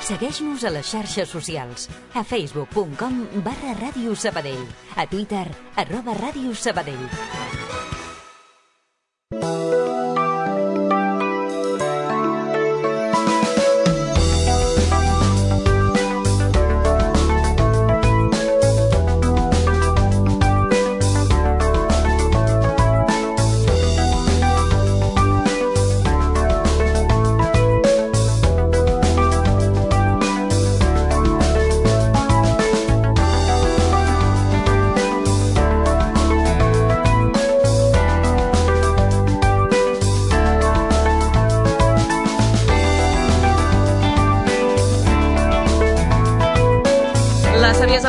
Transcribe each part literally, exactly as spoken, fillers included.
Segueix-nos a les xarxes socials. A facebook punt com barra Ràdio Sabadell. A Twitter, arroba Ràdio Sabadell.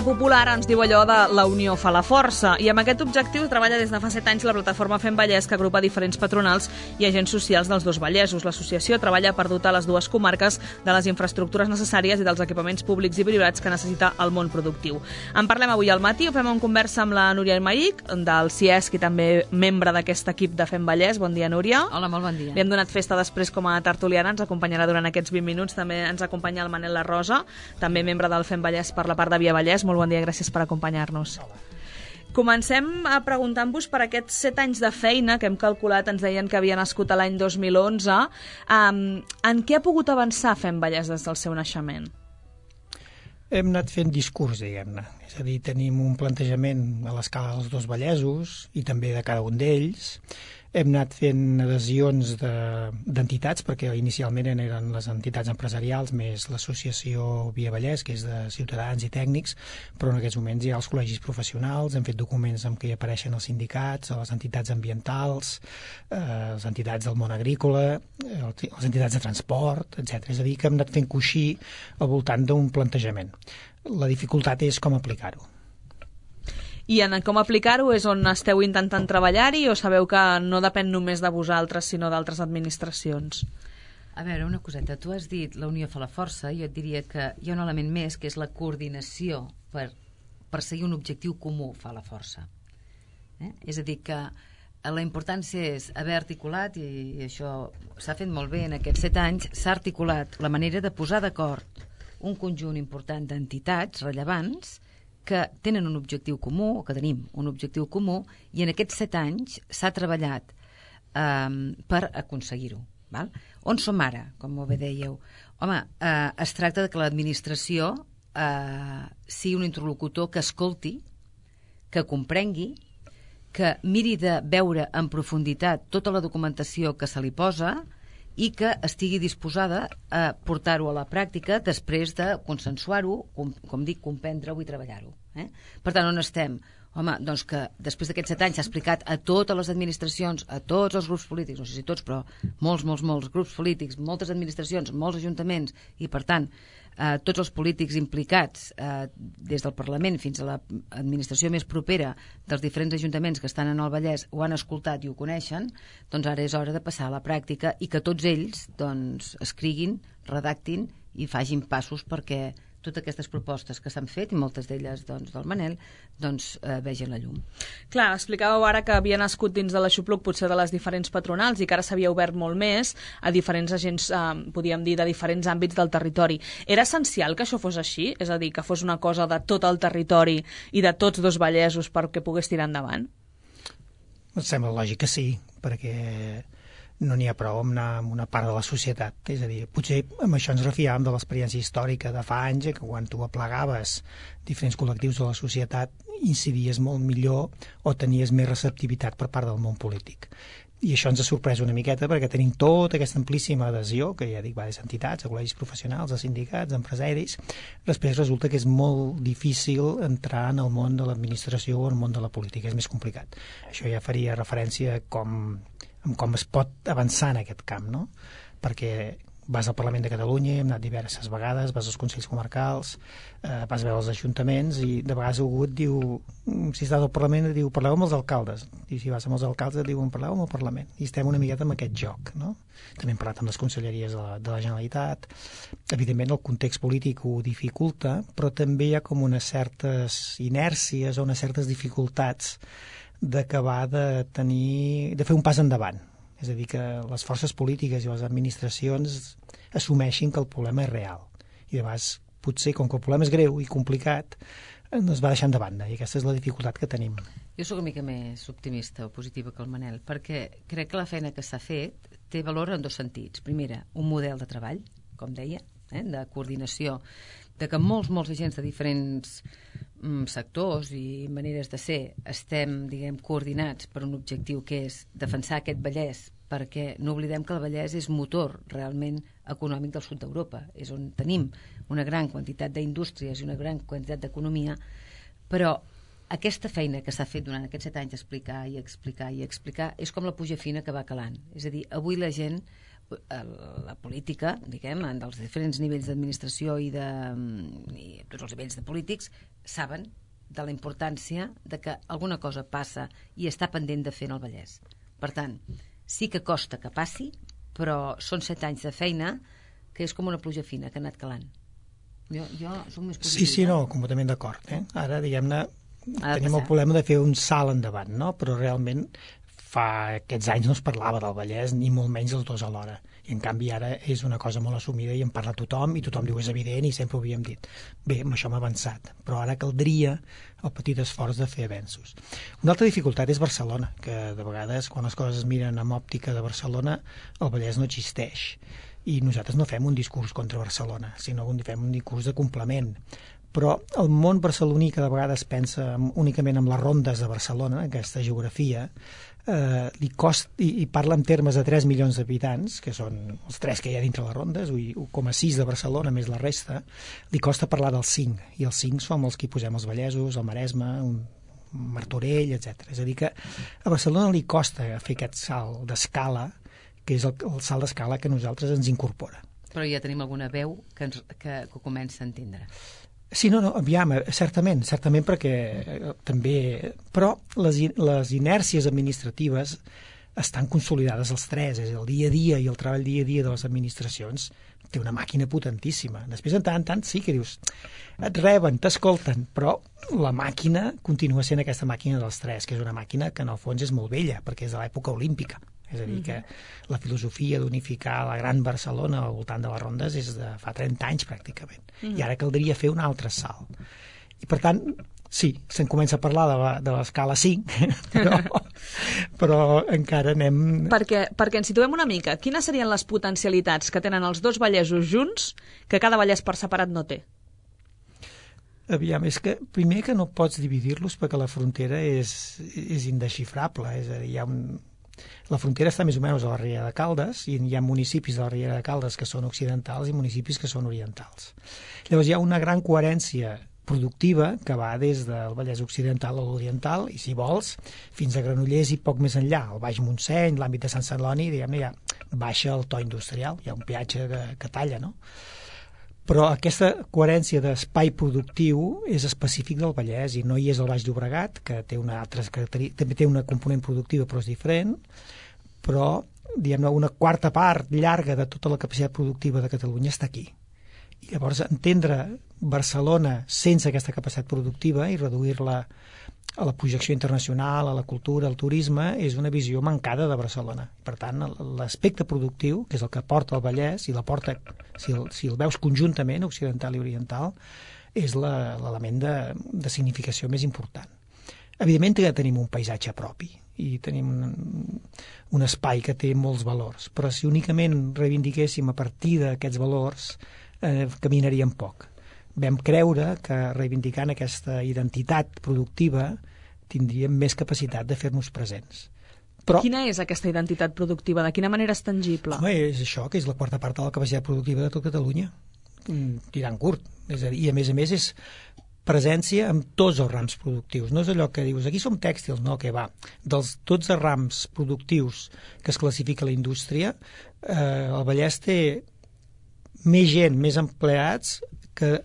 Popular ens diu allò de la unió fa la força, i amb aquest objectiu treballa des de fa set anys la plataforma Fem Vallès, que agrupa diferents patronals i agents socials dels dos Vallesos. L'associació treballa per dotar les dues comarques de les infraestructures necessàries i dels equipaments públics i privats que necessita el món productiu. En parlem avui al matí, ho fem en conversa amb la Núria Aymerich, del C I E S C i també membre d'aquest equip de Fem Vallès. Bon dia, Núria. Hola, molt bon dia. Li hem donat festa després com a tertuliana, ens acompanyarà durant aquests vint minuts. També ens acompanya el Manel La Rosa, també membre del Fem Vallès per la part de Via Vallès. Molt bon dia, gràcies per acompanyar-nos. Comencem a preguntar-vos per aquests set anys de feina que hem calculat, ens deien que havia nascut a l'any dos mil onze. Um, en què ha pogut avançar Fem Vallès des del seu naixement? Hem anat fent discurs, diguem-ne. És a dir, tenim un plantejament a l'escala dels dos Vallesos i també de cada un d'ells. Hem anat fent adhesions d'entitats, perquè inicialment eren les entitats empresarials més l'associació Via Vallès, que és de ciutadans i tècnics, però en aquests moments hi ha els col·legis professionals, hem fet documents en què hi apareixen els sindicats, les entitats ambientals, eh, les entitats del món agrícola, les entitats de transport, etcètera. És a dir, que hem anat fent coixí al voltant d'un plantejament. La dificultat és com aplicar-ho. I en com aplicar-ho és on esteu intentant treballar-hi, o sabeu que no depèn només de vosaltres, sinó d'altres administracions? A veure, una coseta. Tu has dit la unió fa la força, jo et diria que hi ha un element més, que és la coordinació per perseguir un objectiu comú fa la força. Eh? És a dir, que la importància és haver articulat, i això s'ha fet molt bé en aquests set anys, s'ha articulat la manera de posar d'acord un conjunt important d'entitats rellevants que tenen un objectiu comú, o que tenim un objectiu comú, i en aquests set anys s'ha treballat eh, per aconseguir-ho. Val? On som ara, com molt bé dèieu? Home, eh, es tracta de que l'administració eh, sigui un interlocutor que escolti, que comprengui, que miri de veure en profunditat tota la documentació que se li posa i que estigui disposada a portar-ho a la pràctica després de consensuar-ho, com, com dic, comprendre-ho i treballar-ho. Eh? Per tant, on estem? Home, doncs que després d'aquests set anys s'ha explicat a totes les administracions, a tots els grups polítics, no sé si tots, però molts, molts, molts grups polítics, moltes administracions, molts ajuntaments, i per tant, eh, tots els polítics implicats, eh, des del Parlament fins a l'administració més propera dels diferents ajuntaments que estan en el Vallès, ho han escoltat i ho coneixen, doncs ara és hora de passar a la pràctica i que tots ells doncs, escriguin, redactin i facin passos perquè totes aquestes propostes que s'han fet, i moltes d'elles doncs, del Manel, doncs, eh, vegin la llum. Clar, explicàveu ara que havia nascut dins de l'Aixopluc potser de les diferents patronals i que ara s'havia obert molt més a diferents agents, eh, podríem dir, de diferents àmbits del territori. Era essencial que això fos així? És a dir, que fos una cosa de tot el territori i de tots dos Vallesos perquè pogués tirar endavant? Em sembla lògic que sí, perquè no n'hi ha prou amb anar amb una part de la societat. És a dir, potser amb això ens refiàvem de l'experiència històrica de fa anys, que quan tu aplegaves diferents col·lectius de la societat incidies molt millor o tenies més receptivitat per part del món polític. I això ens ha sorprès una miqueta perquè tenim tota aquesta amplíssima adhesió, que ja dic, va des d'entitats, a col·legis professionals, a sindicats, a empresaris. Després resulta que és molt difícil entrar en el món de l'administració o en el món de la política, és més complicat. Això ja faria referència com amb com es pot avançar en aquest camp, no? Perquè vas al Parlament de Catalunya, hem anat diverses vegades, vas als Consells Comarcals, eh, vas veure els ajuntaments i de vegades algú et diu, si estàs al Parlament, et diu, parleu amb els alcaldes. I si vas amb els alcaldes et diuen, parleu amb el Parlament. I estem una miqueta amb aquest joc, no? També hem parlat amb les conselleries de la, de la Generalitat. Evidentment el context polític ho dificulta, però també hi ha com unes certes inèrcies o unes certes dificultats d'acabar de tenir, de fer un pas endavant. És a dir, que les forces polítiques i les administracions assumeixin que el problema és real I de vegades, potser, com que el problema és greu i complicat, es va deixant de banda, i aquesta és la dificultat que tenim. Jo sóc una mica més optimista o positiva que el Manel, perquè crec que la feina que s'ha fet té valor en dos sentits. Primera, un model de treball, com deia, eh, de coordinació, de que molts, molts agents de diferents mm, sectors i maneres de ser estem, diguem, coordinats per un objectiu que és defensar aquest Vallès, perquè no oblidem que el Vallès és motor realment econòmic del sud d'Europa, és on tenim una gran quantitat d'indústries i una gran quantitat d'economia, però aquesta feina que s'ha fet durant aquests set anys d'explicar i explicar i explicar és com la puja fina que va calant. És a dir, avui la gent, la política, diguem, dels diferents nivells d'administració i de i tots els nivells de polítics, saben de la importància de que alguna cosa passa i està pendent de fer en el Vallès. Per tant, sí que costa que passi, però són set anys de feina que és com una pluja fina que ha anat calant. Jo, jo soc més positiva. Sí, sí, no, completament d'acord. Eh? Ara, diguem-ne, tenim el problema de fer un salt endavant, no? Però realment fa aquests anys no es parlava del Vallès, ni molt menys els dos alhora. I en canvi ara és una cosa molt assumida i en parla tothom, i tothom diu és evident i sempre ho havíem dit. Bé, amb això hem avançat, però ara caldria el petit esforç de fer avenços. Una altra dificultat és Barcelona, que de vegades quan les coses es miren amb òptica de Barcelona, el Vallès no existeix. I nosaltres no fem un discurs contra Barcelona, sinó que fem un discurs de complement. Però el món barceloní, que de vegades pensa únicament en les rondes de Barcelona, aquesta geografia, eh, li costa, i, i parla en termes de tres milions d'habitants, que són els tres que hi ha dintre les rondes, un coma sis de Barcelona més la resta, li costa parlar dels cinc, i els cinc som els que hi posem els vallesos, el Maresme, un Martorell, etcètera. És a dir, que a Barcelona li costa fer aquest salt d'escala, que és el, el salt d'escala que a nosaltres ens incorpora. Però ja tenim alguna veu que, ens, que, que comença a entendre. Sí, no, no, aviam, certament, certament perquè eh, també... Però les, les inèrcies administratives estan consolidades els tres, és el dia a dia i el treball dia a dia de les administracions té una màquina potentíssima. Després, en tant en tant, sí que dius, et reben, t'escolten, però la màquina continua sent aquesta màquina dels tres, que és una màquina que en el fons és molt vella, perquè és de l'època olímpica. És a dir, que la filosofia d'unificar la gran Barcelona al voltant de les rondes és de fa trenta anys, pràcticament. Mm. I ara caldria fer un altre salt. I, per tant, sí, se'n comença a parlar de, la, de l'escala cinc, però, però encara anem... Perquè, perquè ens situem una mica. Quines serien les potencialitats que tenen els dos Vallesos junts que cada Vallès per separat no té? Aviam, és que primer que no pots dividir-los perquè la frontera és, és indesxifrable. És a dir, hi ha un... La frontera està més o menys a la Riera de Caldes i hi ha municipis de la Riera de Caldes que són occidentals i municipis que són orientals. Llavors hi ha una gran coherència productiva que va des del Vallès Occidental a l'Oriental i, si vols, fins a Granollers i poc més enllà. El Baix Montseny, l'àmbit de Sant Celoni, diguem-ne, ja baixa el to industrial, hi ha un peatge que, que talla, no? Però aquesta coherència d'espai productiu és específic del Vallès i no hi és el Baix Llobregat, que té una altra característica, també té una component productiva però és diferent, però diguem-ne una quarta part llarga de tota la capacitat productiva de Catalunya està aquí. I llavors entendre Barcelona sense aquesta capacitat productiva i reduir-la a la projecció internacional, a la cultura, al turisme, és una visió mancada de Barcelona. Per tant, l'aspecte productiu, que és el que porta el Vallès, i la porta, si el, si el veus conjuntament, occidental i oriental, és l'element de, de significació més important. Evidentment que tenim un paisatge propi i tenim un, un espai que té molts valors, però si únicament reivindiquéssim a partir d'aquests valors, eh, caminaríem poc. Vam creure que reivindicant aquesta identitat productiva tindríem més capacitat de fer-nos presents. Però, quina és aquesta identitat productiva? De quina manera és tangible? Home, és això, que és la quarta part de la capacitat productiva de tot Catalunya, tirant curt. És a dir, i a més a més és presència en tots els rams productius. No és allò que dius, aquí som tèxtils, no, que va. Dels dotze rams productius que es classifica a la indústria, eh, el Vallès té més gent, més empleats que,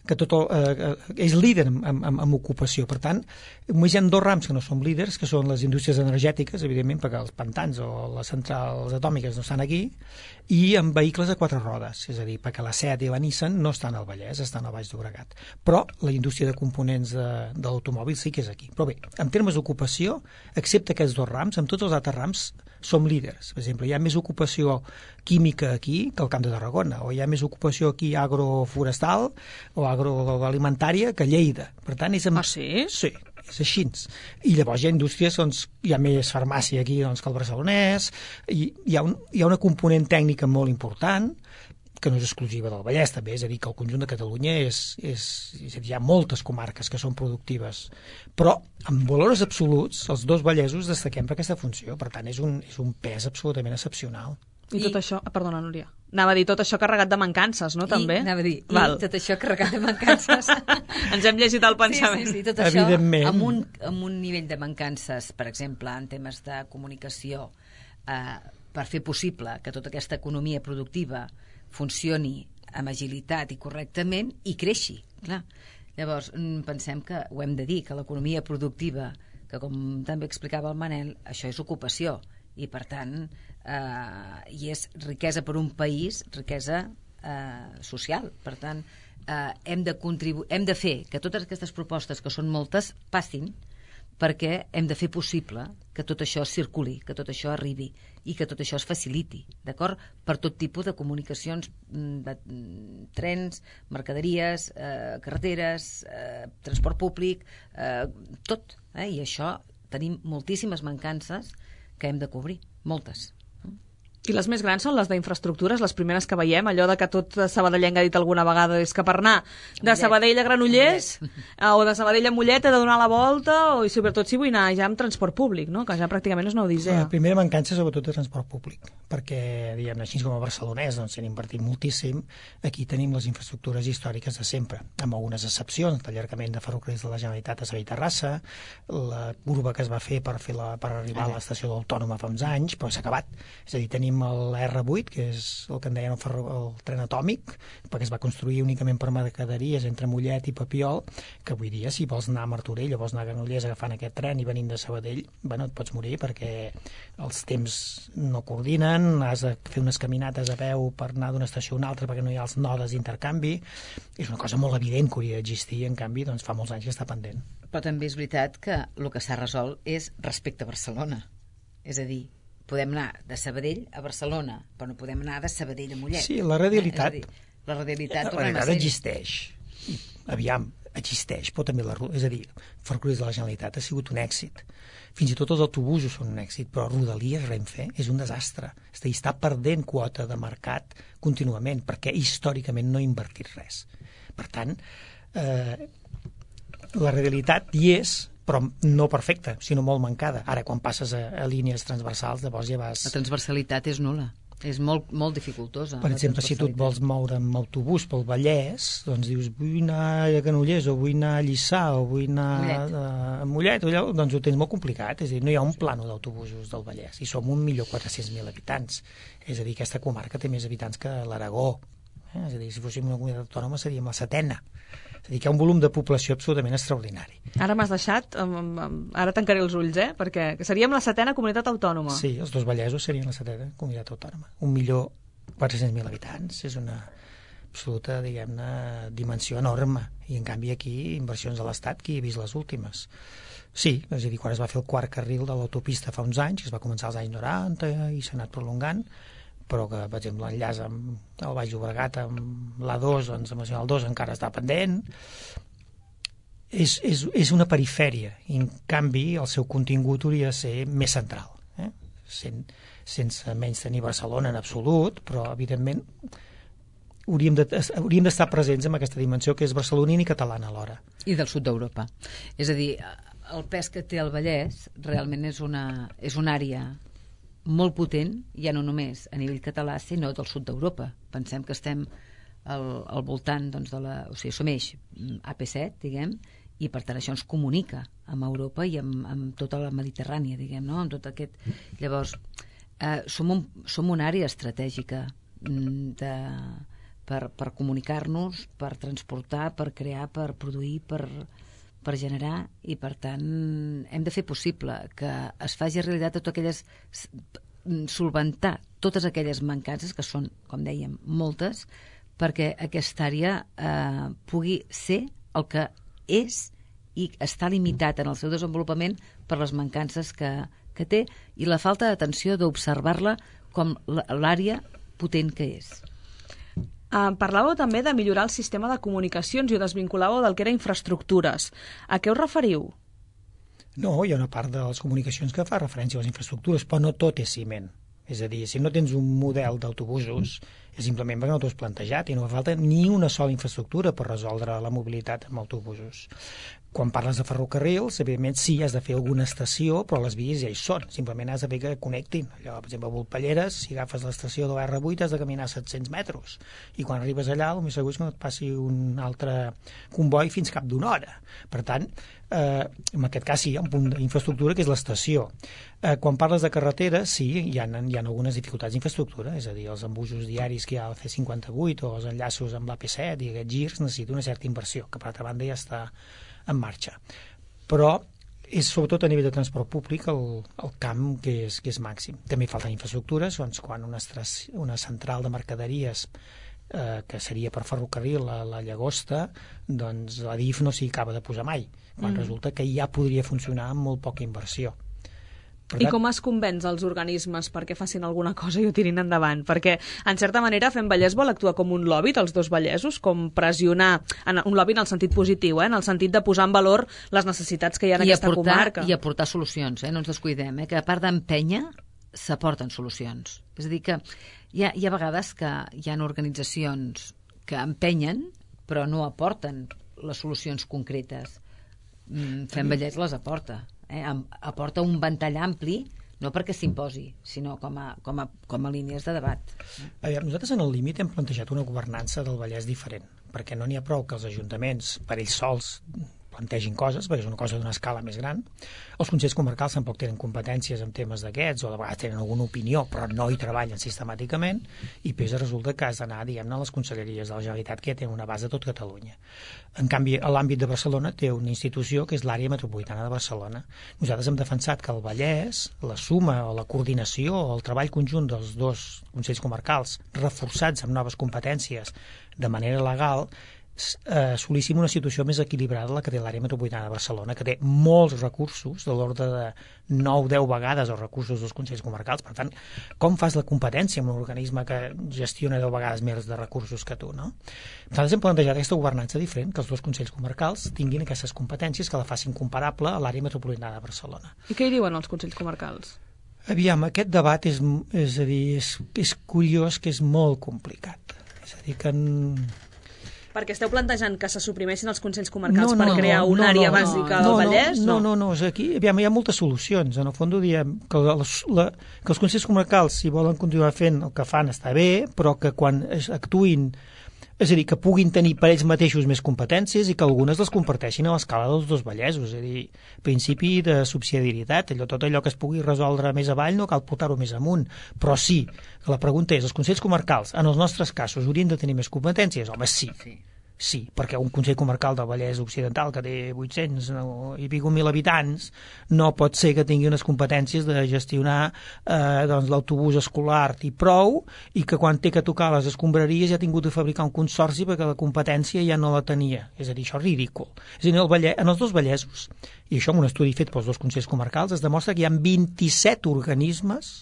que tot el, eh, és líder en, en, en ocupació. Per tant, Només hi ha dos rams que no som líders, que són les indústries energètiques, evidentment, perquè els pantans o les centrals atòmiques no estan aquí, i en vehicles de quatre rodes, és a dir, perquè la Seat i la Nissan no estan al Vallès, estan al Baix Llobregat. Però la indústria de components de, de l'automòbil sí que és aquí. Però bé, en termes d'ocupació, excepte aquests dos rams, amb tots els altres rams som líders. Per exemple, hi ha més ocupació química aquí que al Camp de Tarragona, o hi ha més ocupació aquí agroforestal o agroalimentària que a Lleida. Per tant, és amb... Ah, sí? Sí, és així. I llavors hi ha indústries, doncs, hi ha més farmàcia aquí doncs, que el barcelonès, i hi ha, un, hi ha una component tècnica molt important, que no és exclusiva del Vallès, també, és a dir, que el conjunt de Catalunya és, és, és a dir, hi ha moltes comarques que són productives, però en valors absoluts, els dos vallesos destaquem per aquesta funció, per tant, és un, és un pes absolutament excepcional. I tot I... això... Ah, perdona, Núria. Anava a dir tot això carregat de mancances, no, també? I, anava a dir, Val. i tot això carregat de mancances. Ens hem llegit el pensament. Sí, sí, sí, tot això amb un, amb un nivell de mancances, per exemple, en temes de comunicació, eh, per fer possible que tota aquesta economia productiva funcioni amb agilitat i correctament i creixi, clar. Llavors, pensem que ho hem de dir, que l'economia productiva, que com també explicava el Manel, això és ocupació, i per tant eh, i és riquesa per un país, riquesa eh, social. Per tant, eh, hem de contribuir, hem de fer que totes aquestes propostes, que són moltes, passin, perquè hem de fer possible que tot això circuli, que tot això arribi i que tot això es faciliti, d'acord? Per tot tipus de comunicacions, de trens, mercaderies, eh, carreteres, eh, transport públic, eh, tot. Eh? I això tenim moltíssimes mancances que hem de cobrir, moltes. I les més grans són les d'infraestructures, les primeres que veiem, allò de que tot sabadellenc ha dit alguna vegada, és que per anar de Sabadell a Granollers o de Sabadell a Mollet he de donar la volta, o, i sobretot si vull anar ja amb transport públic, no? Que ja pràcticament és una odissea. La primera mancança sobretot de transport públic, perquè, diguem, així com a barcelonès, doncs s'han invertit moltíssim. Aquí tenim les infraestructures històriques de sempre, amb algunes excepcions, l'allargament de ferrocarrils de la Generalitat a Sabadell-Terrassa, la curva que es va fer per, fer la, per arribar a l'estació d'Autònoma fa uns anys, però s'ha acabat. És a dir, tenim el erre vuit, que és el que en deien el, ferro, el tren atòmic, perquè es va construir únicament per mercaderies entre Mollet i Papiol, que avui dia, si vols anar a Martorell o vols anar a Granollers agafant aquest tren i venint de Sabadell, bueno, et pots morir perquè els temps no coordinen, has de fer unes caminates a peu per anar d'una estació a una altra perquè no hi ha els nodes d'intercanvi. És una cosa molt evident que hauria d'existir, en canvi, doncs fa molts anys que està pendent. Però també és veritat que el que s'ha resolt és respecte a Barcelona. És a dir, podem anar de Sabadell a Barcelona, però no podem anar de Sabadell a Mollet. Sí, la radialitat... Eh? Dir, la radialitat, la radialitat existeix. I, aviam, existeix, però també la... És a dir, Ferrocarrils de la Generalitat ha sigut un èxit. Fins i tot els autobusos són un èxit, però Rodalies, Renfe, és un desastre. És a dir, està perdent quota de mercat contínuament, perquè històricament no ha invertit res. Per tant, eh, la radialitat hi és, però no perfecta, sinó molt mancada. Ara, quan passes a, a línies transversals, llavors ja vas... La transversalitat és nul·la, és molt, molt dificultosa. Per exemple, si tu et vols moure amb autobús pel Vallès, doncs dius, vull anar a Granollers, o vull anar a Lliçà, o vull anar Mollet. a, a Mollet, o allò, doncs ho tens molt complicat. És a dir, no hi ha un plano d'autobusos del Vallès, i som un milió quatre-cents mil habitants. És a dir, aquesta comarca té més habitants que l'Aragó. Eh? És a dir, si fóssim una comunitat autònoma seríem la setena. És a dir, que hi ha un volum de població absolutament extraordinari. Ara m'has deixat, ara tancaré els ulls, eh? Perquè seríem la setena comunitat autònoma. Sí, els dos Vallesos serien la setena comunitat autònoma. Un milió quatre-cents mil habitants. És una absoluta, diguem-ne, dimensió enorme. I, en canvi, aquí, inversions de l'Estat, qui ha vist les últimes? Sí, és a dir, quan es va fer el quart carril de l'autopista fa uns anys, que es va començar als anys noranta i s'ha anat prolongant, però que, per exemple, l'enllaç amb el Baix Llobregat, amb l'A dos, doncs amb el dos encara està pendent. És, és, és una perifèria, i en canvi el seu contingut hauria de ser més central, eh? Sen, sense menys tenir Barcelona en absolut, però, evidentment, hauríem de, hauríem d'estar presents en aquesta dimensió que és barcelonina i catalana alhora. I del sud d'Europa. És a dir, el pes que té el Vallès realment és una, és una àrea molt potent, ja no només a nivell català, sinó del sud d'Europa. Pensem que estem al, al voltant, doncs, de la... O sigui, som eix A P set, diguem, i per tant això ens comunica amb Europa i amb, amb tota la Mediterrània, diguem, no? Amb tot aquest... Llavors, eh, som, un, som una àrea estratègica de, per, per comunicar-nos, per transportar, per crear, per produir, per, per generar i, per tant, hem de fer possible que es faci realitat totes aquelles... solventar totes aquelles mancances, que són, com dèiem, moltes, perquè aquesta àrea eh, pugui ser el que és i està limitat en el seu desenvolupament per les mancances que, que té i la falta d'atenció d'observar-la com l'àrea potent que és. Uh, parlàveu també de millorar el sistema de comunicacions i ho desvinculàveu del que era infraestructures. A què us referiu? No, hi ha una part de les comunicacions que fa referència a les infraestructures, però no tot és ciment. És a dir, si no tens un model d'autobusos, és simplement perquè no t'ho has plantejat i no fa falta ni una sola infraestructura per resoldre la mobilitat amb autobusos. Quan parles de ferrocarrils, evidentment sí, has de fer alguna estació, però les vies ja hi són. Simplement has de fer que connectin. Allò, per exemple, a Volpelleres, si agafes l'estació de l'R vuit has de caminar set-cents metres. I quan arribes allà, el més segur és que no et passi un altre comboi fins cap d'una hora. Per tant, eh, en aquest cas sí, hi ha un punt d'infraestructura que és l'estació. Eh, quan parles de carreteres, sí, hi ha, hi ha algunes dificultats d'infraestructura, és a dir, els embussos diaris que hi ha al C cinquanta-vuit o els enllaços amb l'A P set i aquests girs necessiten una certa inversió, que per altra banda ja està en marxa. Però és sobretot a nivell de transport públic el, el camp que és, que és màxim. També falten infraestructures, doncs quan una, una central de mercaderies eh, que seria per ferrocarril a la Llagosta, doncs la D I F no s'hi acaba de posar mai, quan mm. resulta que ja podria funcionar amb molt poca inversió. I com es convenç els organismes perquè facin alguna cosa i ho tirin endavant? Perquè, en certa manera, Fem Vallès vol actuar com un lobby dels dos Vallesos, com pressionar, en un lobby en el sentit positiu, eh? En el sentit de posar en valor les necessitats que hi ha en I aquesta aportar, comarca. I aportar solucions, eh? No ens descuidem, eh? Que a part d'empènyer, s'aporten solucions. És a dir, que hi ha, hi ha vegades que hi ha organitzacions que empenyen, però no aporten les solucions concretes. Fem Vallès les aporta. Eh, aporta un ventall ampli, no perquè s'imposi, sinó com a, com, a, com a línies de debat. A veure, nosaltres en el límit hem plantejat una governança del Vallès diferent, perquè no n'hi ha prou que els ajuntaments, per ells sols, plantegin coses, perquè és una cosa d'una escala més gran. Els consells comarcals tampoc tenen competències en temes d'aquests, o de vegades tenen alguna opinió, però no hi treballen sistemàticament, i després resulta que has d'anar, diguem-ne, a les conselleries de la Generalitat, que tenen una base a tot Catalunya. En canvi, a l'àmbit de Barcelona té una institució que és l'àrea metropolitana de Barcelona. Nosaltres hem defensat que el Vallès, la suma o la coordinació o el treball conjunt dels dos consells comarcals, reforçats amb noves competències de manera legal, eh, assolíssim una situació més equilibrada la que té l'àrea metropolitana de Barcelona, que té molts recursos, de l'ordre de nou a deu vegades els recursos dels consells comarcals. Per tant, com fas la competència amb un organisme que gestiona deu vegades més de recursos que tu, no? Nosaltres hem plantejat aquesta governança diferent, que els dos consells comarcals tinguin aquestes competències que la facin comparable a l'àrea metropolitana de Barcelona. I què hi diuen els consells comarcals? Aviam, aquest debat és, és a dir, és, és curiós, que és molt complicat. És a dir, que... En... Perquè esteu plantejant que se suprimeixin els consells comarcals no, no, per crear no, una no, àrea no, bàsica no, del Vallès? No, no, no, no, aquí aviam, hi ha moltes solucions. En el fons diem que, la, la, que els consells comarcals, si volen continuar fent el que fan, està bé, però que quan actuïn, és a dir, que puguin tenir per ells mateixos més competències i que algunes les comparteixin a l'escala dels dos Vallesos, és a dir, principi de subsidiarietat, allò, tot allò que es pugui resoldre més avall no cal portar-ho més amunt, però sí, que la pregunta és, els consells comarcals, en els nostres casos, haurien de tenir més competències? Home, sí. Sí. Sí, perquè un Consell Comarcal del Vallès Occidental que té vuit-cents i pico mil habitants no pot ser que tingui unes competències de gestionar eh, doncs, l'autobús escolar i prou, i que quan té que tocar les escombraries ja ha tingut de fabricar un consorci perquè la competència ja no la tenia. És a dir, això és ridícul. És a dir, el Vallès, en els dos Vallesos, i això en un estudi fet pels dos Consells Comarcals, es demostra que hi ha vint-i-set organismes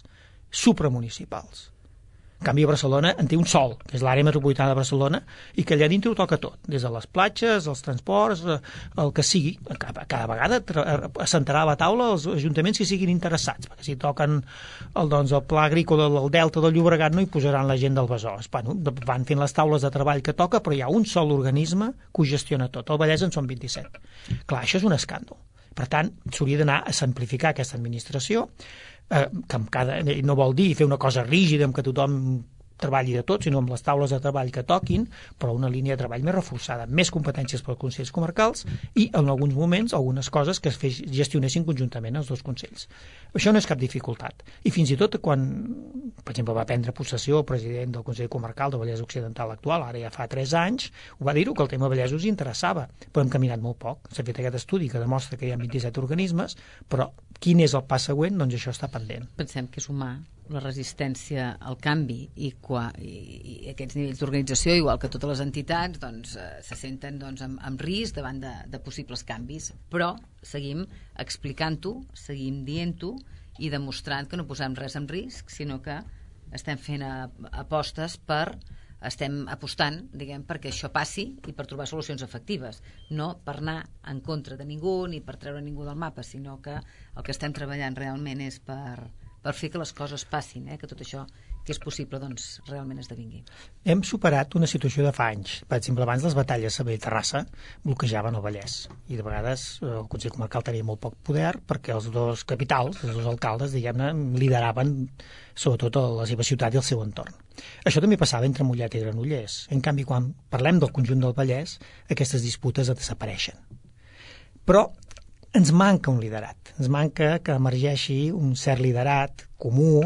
supramunicipals. En canvi, a Barcelona en té un sol, que és l'àrea metropolitana de Barcelona, i que allà dintre ho toca tot, des de les platges, els transports, el que sigui. Cada, cada vegada assentarà a la taula els ajuntaments que siguin interessats, perquè si toquen el, doncs, el pla agrícola del Delta del Llobregat no hi posaran la gent del Besòs. Bueno, van fent les taules de treball que toca, però hi ha un sol organisme que ho gestiona tot. El Vallès en són vint-i-set. Clar, això és un escàndol. Per tant, s'hauria d'anar a simplificar aquesta administració, eh, que amb cada, no vol dir fer una cosa rígida amb què tothom treballi de tot, sinó amb les taules de treball que toquin, però una línia de treball més reforçada, més competències pels consells comarcals i, en alguns moments, algunes coses que es gestionessin conjuntament els dos consells. Això no és cap dificultat. I fins i tot quan, per exemple, va prendre possessió el president del Consell Comarcal de Vallès Occidental actual, ara ja fa tres anys, ho va dir-ho, que el tema Vallès us interessava, però hem caminat molt poc. S'ha fet aquest estudi que demostra que hi ha vint-i-set organismes, però quin és el pas següent? Doncs això està pendent. Pensem que és humà la resistència al canvi i, qua, i, i aquests nivells d'organització, igual que totes les entitats, doncs, eh, se senten doncs, amb, amb risc davant de, de possibles canvis, però seguim explicant-ho, seguim dient-ho i demostrant que no posem res en risc, sinó que estem fent a, apostes per estem apostant, diguem, perquè això passi i per trobar solucions efectives, no per anar en contra de ningú ni per treure ningú del mapa, sinó que el que estem treballant realment és per per fer que les coses passin, eh? Que tot això que és possible, doncs, realment esdevingui. Hem superat una situació de fa anys. Per exemple, abans les batalles Sabadell-Terrassa bloquejaven el Vallès i de vegades el Consell Comarcal tenia molt poc poder perquè els dos capitals, els dos alcaldes, diguem-ne, lideraven sobretot a la seva ciutat i el seu entorn. Això també passava entre Mollet i Granollers. En canvi, quan parlem del conjunt del Vallès, aquestes disputes desapareixen. Però ens manca un liderat, ens manca que emergeixi un cert liderat comú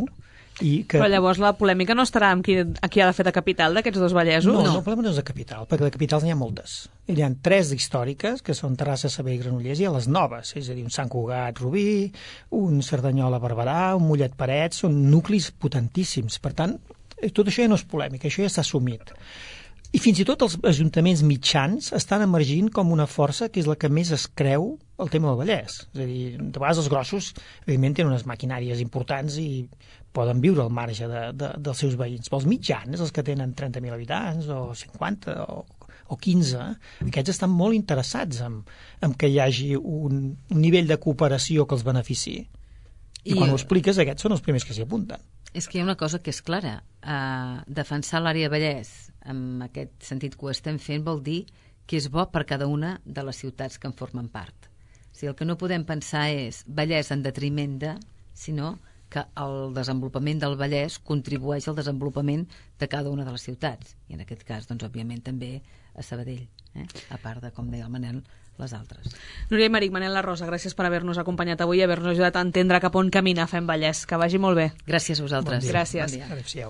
i que... Però llavors la polèmica no estarà amb qui, a qui ha de fer de capital d'aquests dos vallesos? No, no, el problema no és de capital, perquè de capitals n'hi ha moltes. Hi ha tres històriques, que són Terrassa, Sabadell i Granollers, i a les noves, és a dir, un Sant Cugat, Rubí, un Cerdanyola, Barberà, un Mollet, Parets, són nuclis potentíssims. Per tant, tot això ja no és polèmica, això ja s'ha assumit. I fins i tot els ajuntaments mitjans estan emergint com una força que és la que més es creu el tema del Vallès. És a dir, de vegades els grossos, evidentment, tenen unes maquinàries importants i poden viure al marge de, de, dels seus veïns. Però els mitjans, els que tenen trenta mil habitants o cinquanta o, o quinze, aquests estan molt interessats en, en que hi hagi un, un nivell de cooperació que els beneficiï. I, I quan ho expliques, aquests són els primers que s'hi apunten. És que hi ha una cosa que és clara. Uh, defensar l'àrea Vallès en aquest sentit que ho estem fent vol dir que és bo per cada una de les ciutats que en formen part. O sigui, el que no podem pensar és Vallès en detriment de, sinó que el desenvolupament del Vallès contribueix al desenvolupament de cada una de les ciutats. I en aquest cas, doncs, òbviament, també a Sabadell, eh? A part de, com deia el Manel, les altres. Núria Aymeric, Manel La Rosa, gràcies per haver-nos acompanyat avui i haver-nos ajudat a entendre cap on camina Fem Vallès. Que vagi molt bé. Gràcies a vosaltres. Bon dia. Gràcies. Bon dia. Adéu-siau.